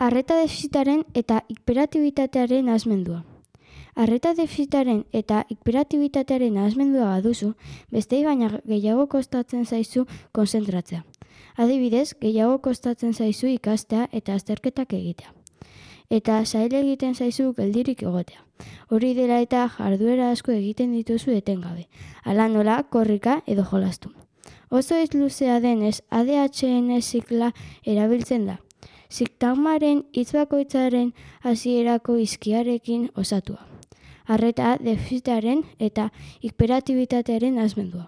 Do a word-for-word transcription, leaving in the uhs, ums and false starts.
Arreta defizitaren eta hiperaktibotatearen nahasmendua. Arreta defizitaren eta hiperaktibotatearen nahasmendua baduzu, bestei baina gehiago kostatzen zaizu konzentratzea. Adibidez, gehiago kostatzen zaizu ikastea eta azterketak egitea. Eta zaila egiten zaizu geldirik egotea. Hori dela eta jarduera asko egiten dituzu etengabe. Hala nola, korrika edo jolastu. Oso ez luzea denez, A D H N zikla erabiltzen da. Sintagmaren hitz bakoitzaren hasierako hizkiarekin osatua. Arreta defizitaren eta hiperaktibotatearen nahasmendua.